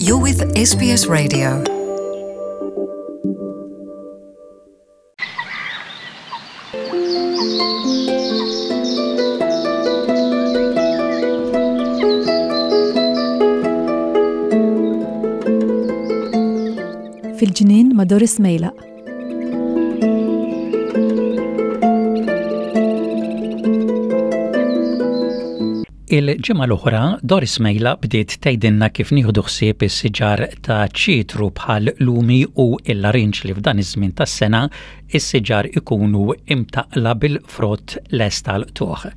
You're with SBS Radio. Fil-ġnien ma' Doris Mejlaq. Il-ġimgħa l-oħra, Doris Mejla bdiet tgħidilna kif nieħdu ħsieb is-siġar ta' ċitru bħal lumi u l-larinġ li f'dan iż-żmien tas-sena is-siġar ikunu imtaqla bil-frott lest għall-qtugħ.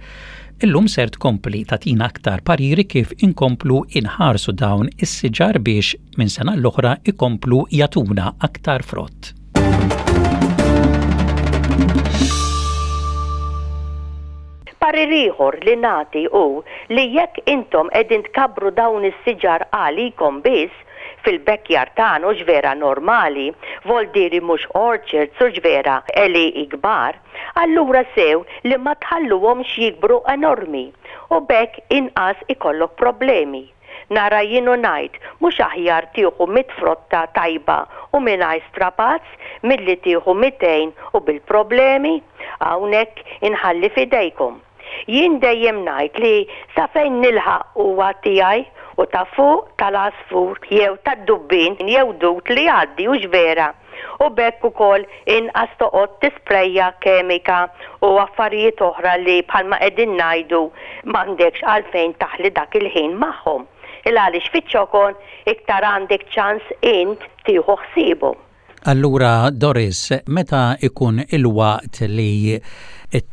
Illum ser tkompli tagħtina aktar pariri kif inkomplu inħarsu dawn is-siġar biex minn sena l-oħra ikomplu jagħtuna aktar frott. Parir ieħor li nagħti hu li jekk intom qegħdin tkabbru dawn is-siġar għalikom biss, fil-backyard tagħna hux vera normali, voldieri mhux orchards hux vera għelieqi kbar, allura sew li ma tħalluhomx jikbru enormi u b'hekk inqas ikollok problemi. Nara jien u ngħid, mhux aħjar tieħu mitt frotta tajba u mingħajr strapazz milli tieħu 200 u bil-problemi? Hawnhekk inħalli f'idejkom. Jien dejjem ngħid li sa fejn nilħaq huwa tiegħi u ta' fuq tal-għasfur jew tad-dubbien jew dud li jgħaddi hux vera? u b'hekk ukoll inqas toqgħod tisprejja kemika u affarijiet oħra li bħalma qegħdin ngħidu m'għandekx għalfejn taħli dak il-ħin magħhom. Il-għaliex fiċ-ċokon iktar għandek ċans int tieħu ħsiebhom. Allura Doris, meta ikun il-waqt li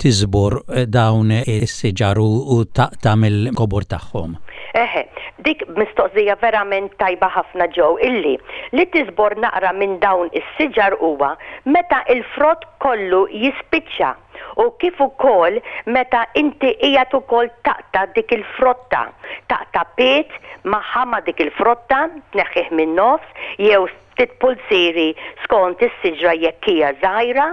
tiżbor dawn is-siġar u taqta' mill-kobor tagħhom? Eħe, dik mistoqsija verament tajba ħafna Joe, illi li tiżbor naqra minn dawn is-siġar huwa meta l-frott kollu jispiċċa u kif ukoll meta inti qiegħed ukoll taqta' dik il-frotta, taqta' pied magħha ma' dik il-frotta, tneħħih min-nofs jew ftit pulzieri skont is-siġra jekk hija żgħira,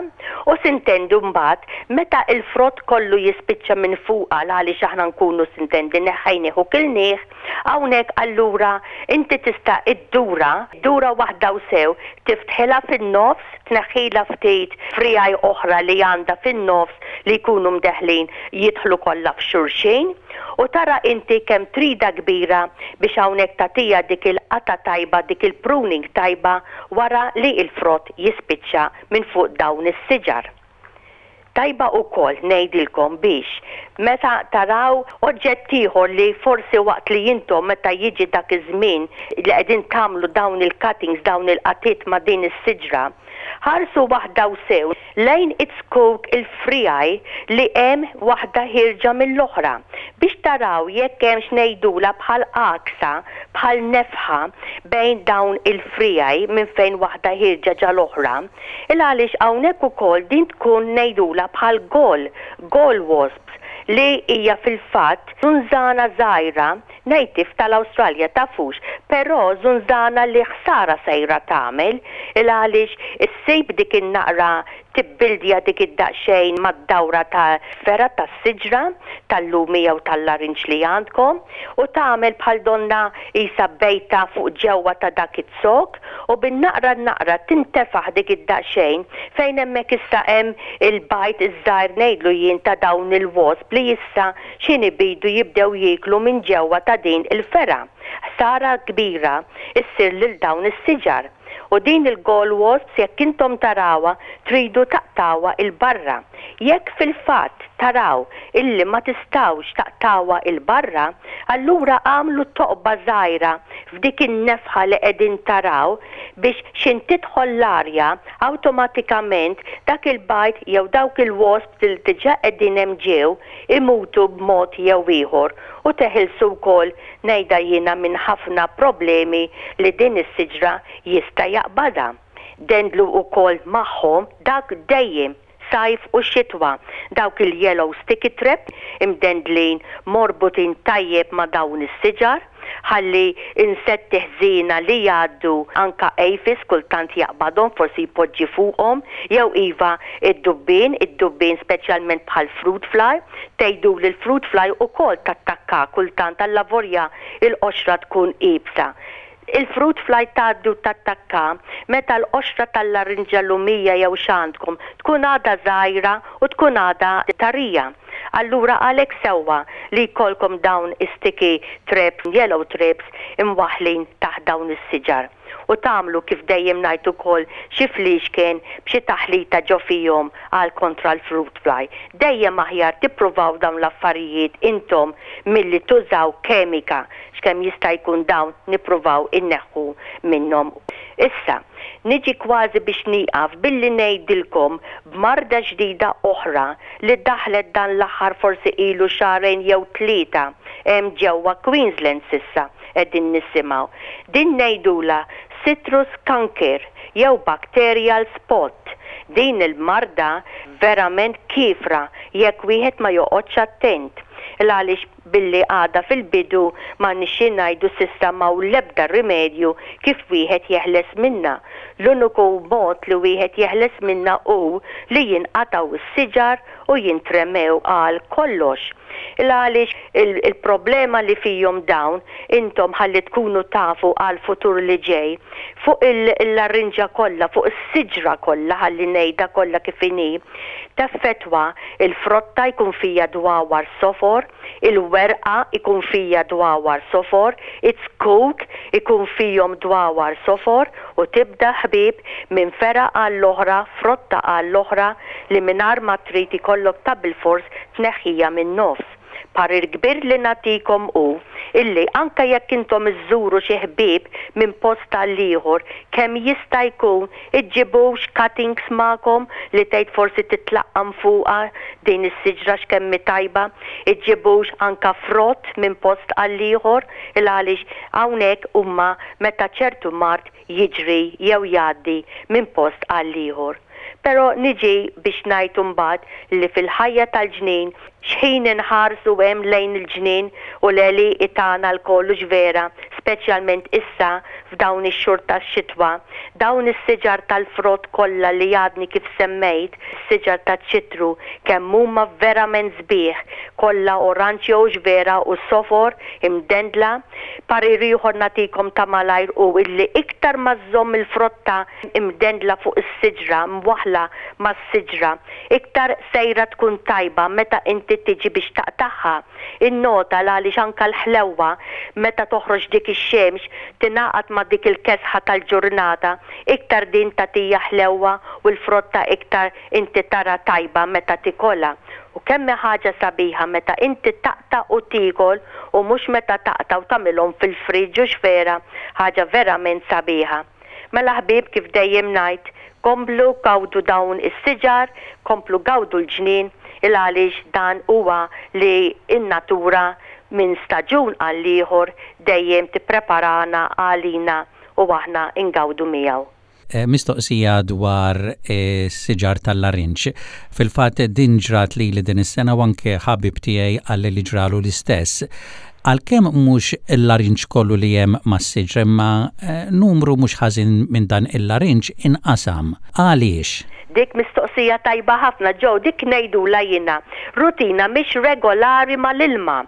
u sintendu mbagħad meta l-frott kollu jispiċċa minn fuqha l-għaliex aħna nkunu sintendi neħħejnih u kilnih, hawnhekk allura inti tista' iddurha, dura waħda u sew, tiftħilha fin-nofs, tneħħilha ftit friegħi oħra li għandha fin-nofs li jkunu mdeħħlin jidħlu kollha f'xulxin. U tara inti kemm tridha kbira biex hawnhekk tagħtiha dik il-qatgħa tajba, dik il-pruning tajba wara li l-frott jispiċċa minn fuq dawn is-siġar. Tajba ukoll ngħidilkom biex meta taraw oġġett ieħor li forsi waqt li intom meta jiġi dak iż-żmien li qegħdin tagħmlu dawn il-cuttings, dawn il-qatgħiet ma' din is-siġra, Ħarsu waħda u sew lejn iz-zkuk il-friegħi li hemm waħda ħierġa mill-oħra biex taraw jekk hemmx ngħidulha bħal għaksa, bħal nefħa bejn dawn il-friegħi minn fejn waħda ħierġa ġa l-oħra. Il għaliex hawnhekk ukoll din tkun ngħidulha bħal gall, gall wasps, li hija fil-fatt żunżana żgħira Native tal-Awstralja tafux, però żunżana li ħsara sejra tagħmel, il għaliex issib dik in-naqra tibbildja dik id-daqsxejn mad-dawra ta' fergħa tas-siġra, tal-lumi jew tal-larinġ li għandkom, u tagħmel bħal donnha qisha bejta fuq ġewwa ta' dak iz-zokk u bin-naqra n-naqra tintefaħ dik id-daqsxejn fejn hemmhekk issa hemm il-bajd iż-żgħir ngħidlu jien ta' dawn il-wasp li issa X'ħin ibidu jibdew jieklu minn ġewwa ta' din il-fergħa, ħsara kbira ssir lil dawn is-siġar. U din il-gall wasps jekk intom tarawha tridu taqtgħuha 'l barra. Jekk fil-fatt taraw illi ma tistgħux taqtgħuha 'l barra, allura agħmlu toqba żgħira f'dik in-nefħa li qegħdin taraw biex x'ħin tidħol l-arja awtomatikament dak il-bajd jew dawk il-wasps li diġà qegħdin hemm ġew imutu b'mod jew ieħor u teħilsu wkoll ngħidha jiena minn ħafna problemi li din is-siġra jista' jaqbadha. Dendlu wkoll magħhom dak dejjem, sajf u xitwa, dawk il-yellow sticky trap imdendlin morbutin tajjeb ma' dawn is-siġar. Ħalli insetti ħżiena li jgħaddu anka aphids kultant jaqbadhom forsi jpoġġi fuqhom jew iva d-dubbien, id-dubbien speċjalment bħal fruit fly, tgħiduli l-fruit fly ukoll tattakka kultant allavorja l-qoxra tkun iebsa. Il-fruit fly tgħaddi u tattakka meta l-qoxra tal-larinġa lumija jew x'għandkom tkun għadha żgħira u tkun għadha tarija. Allura għalhekk sewwa li jkollkom dawn is-sticky traps, yellow traps imwaħħlin taħt dawn is-siġar. U tagħmlu kif dejjem ngħid ukoll xi fliexken b'xi taħlita ġo fihom għal kontra l-fruit fly. Dejjem aħjar tippruvaw dawn l-affarijiet intom milli tużaw kemika x'kemm jista' jkun dawn nippruvaw inneħħu minnhom. Issa, niġi kważi biex nieqaf billi ngħidilkom b'marda ġdida oħra li daħlet dan l-aħħar forsi ilu xahrejn jew tlieta hemm ġewwa Queensland s'issa qegħdin nisimgħu. Din ngħidulha citrus canker jew bacterial spot. Din il-marda verament kiefra jekk wieħed ma joqgħodx attent. Il-għaliex Billi għadha fil-bidu m'għandniex xi ngħidu s'issa m'hawn l-ebda rimedju kif wieħed jeħles minnha. L-uniku mod li wieħed jeħles minnha hu li jinqatgħu s-siġar u jintremew għal kollox. Il-għaliex il-problema li fihom dawn intom ħalli tkunu tafu għall-futur li ġej, fuq il-larinġa kollha, fuq is-siġra kollha ħalli ngħidha kollha kif inhi, Teffettwa il-frotta jkun fija dwawar sofor, il-werqa jkun fija dwawar sofor, iz-zkuk ikun fihom dwawar sofor u tibda ħbieb minn fergħa għall-oħra, frotta għall-oħra li mingħajr ma trid ikollok ta' bilfors tneħħija min-nofs. Parir kbir li nagħtikom hu illi anke jekk intom iżżuru xi ħbieb minn post għal ieħor, kemm jista' jkun iġġibux cuttings magħkom li tgħid forsi titlaqqam fuqha din is-siġra x'kemm hi tajba, iġġibux anke frott minn post għal ieħor il għaliex hawnhekk huma meta ċertu mard jiġri jew jgħaddi minn post għal ieħor. Però niġi biex ngħid imbagħad li fil-ħajja tal-ġnien, x'ħin inħarsu hemm lejn il-ġnien u l-għelieqi tagħna lkoll hux vera, speċjalment issa f'dawn ix-xhur tax-xitwa, dawn is-siġar tal-frott kollha li għadni kif semmejt, is-siġar taċ-ċitru, kemm huma verament sbieħ, kollha oranġjo hux vera u sofor, imdendla. Parir ieħor nagħtikom ta' malajr hu illi iktar ma żżomm il-frotta imdendla fuq is-siġra, mwaħħla mas-siġra, iktar sejra tkun tajba meta inti tiġi biex taqtagħha. Innota l-għaliex anke l-ħlewwa meta toħroġ dik ix-xemx tingħaqad ma' dik il-kesħa tal-ġurnata, iktar din tagħtija ħlewwa u l-frotta iktar inti tara tajba meta tikolha. U kemm hi ħaġa sabiħa meta inti taqta' u tiekol u mhux meta taqta' u tagħmilhom fil-fridge hux vera? Ħaġa verament sabiħa. Mela ħbieb kif dejjem ngħid, komplu gawdu dawn is-siġar, komplu gawdu l-ġnien il għaliex dan huwa li n-natura minn staġun għall-ieħor dejjem tippreparana għalina u aħna ngawdu miegħu. Mistoqsija dwar is-siġar tal-larinġ. Fil-fatt din ġrat lili din is-sena u anke ħabib tiegħi qalli li ġralu l-istess. Għalkemm mhux il-larinġ kollu li hemm mas-siġra imma numru mhux ħażin minn dan il-larinġ inqasam. Għaliex? Dik mistoqsija tajba ħafna Joe, dik ngħidulha jiena rutina mhix regolari mal-ilma.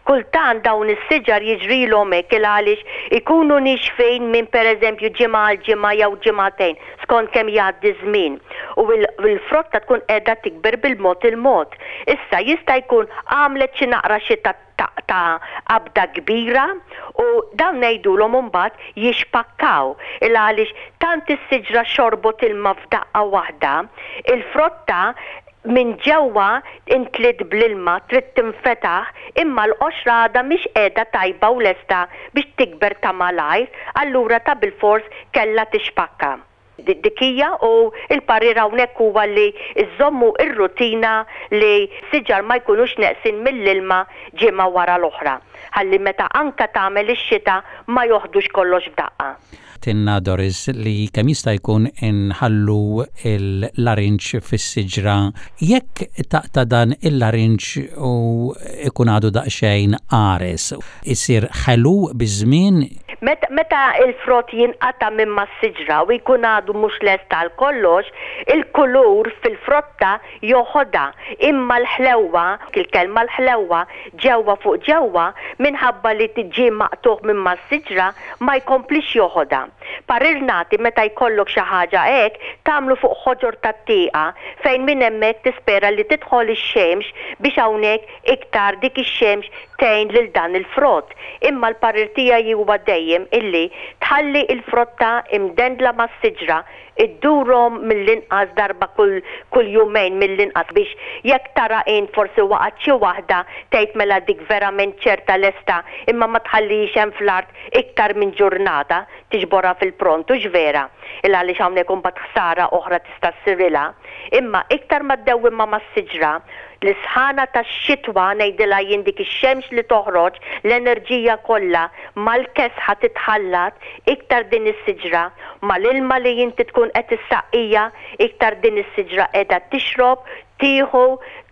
Kultant dawn is-siġar jiġrilhom hekk il-għaliex ikunu nixfin minn pereżempju ġimgħa għal ġimgħa jew ġimagħtejn skont kemm jgħaddi ż-żmien u l-frotta tkun qiegħda tikber bil-mod il-mod. Issa jista' jkun għamlet xi naqra xita ta' qabda kbira u dawn ngħidulhom imbagħad jixpakkaw il għaliex tant is-siġra xorbot ilma f'daqqa waħda, il-frotta minn ġewwa intliet bl-ilma trid tinfetaħ imma l-qoxra għadha mhix qiegħda tajba u lesta biex tikber ta' malajr allura ta' bilfors kellha tixpakka. Dik hija u l-parir hawnhekk huwa li żżommu r-rutina li s-siġar ma jkunux neqsin mill-ilma ġimgħa wara l-oħra ħalli meta anke tagħmel ix-xita ma joħdux kollox f'daqqa. Għedtilna Doris li kemm jista' jkun inħallu l-larinġ fis-siġra. Jekk taqta' dan il-larinġ u jkun għadu daqsxejn qares, isir ħelu biż-żmien? Meta l-frott jinqata' minn mas-siġra u jkun għadu mhux lest għal kollox, il-kulur fil-frotta joħodha, imma l-ħlewwa, il-kelma l-ħlewwa, ġewwa fuq ġewwa, minħabba li ġie maqtugħ minn mas-siġra, ma jkomplix joħodha. Parir nagħti meta jkollok xi ħaġa hekk, tagħmlu fuq ħoġor tat-tieqa fejn minn hemmhekk tispera li tidħol ix-xemx biex hawnhekk iktar dik ix-xemx tgħin lil dan il-frott. Imma l-parir tiegħi huwa dejjem illi tħalli l-frotta imdendla mas-siġra iddurhom mill-inqas darba kull kull jumejn mill-inqas biex jekk tara int forsi waqgħet xi waħda tgħid mela dik verament ċerta lesta imma ma tħallihiex hemm fl-art iktar minn ġurnata tiġborha fil-pront hux vera il għaliex hawnhekk imbagħad ħsara oħra tista' ssirilha imma iktar ma ddewwimha mas-siġra l-isħana tax-xitwa ngħidilha jien dik ix-xemx li toħroġ l-enerġija kollha mal-kesħa titħallat iktar din is-siġra mal-ilma li inti tkun qed issaqqija iktar din is-siġra qiegħda tixrob, tieħu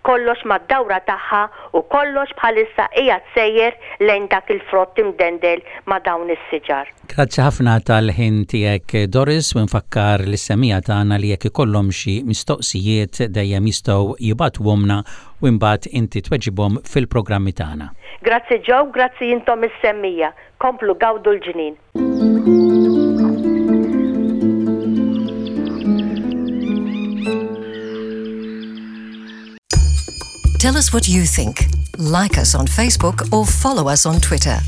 kollox mad-dawra tagħha u kollox bħalissa qiegħed sejjer lejn dak il-frott imdendel ma' dawn is-siġar. Grazzi ħafna tal-ħin tiegħek Doris u nfakkar lis-semmiegħa tagħna li jekk ikollhom xi mistoqsijiet dejjem jistgħu jibagħtuhomlna u imbagħad inti tweġibhom fil-programmi tagħna. Grazzi Joe, grazzi intom is-semmiegħa. Komplu gawdu l-ġnien. Tell us what you think. Like us on Facebook or follow us on Twitter.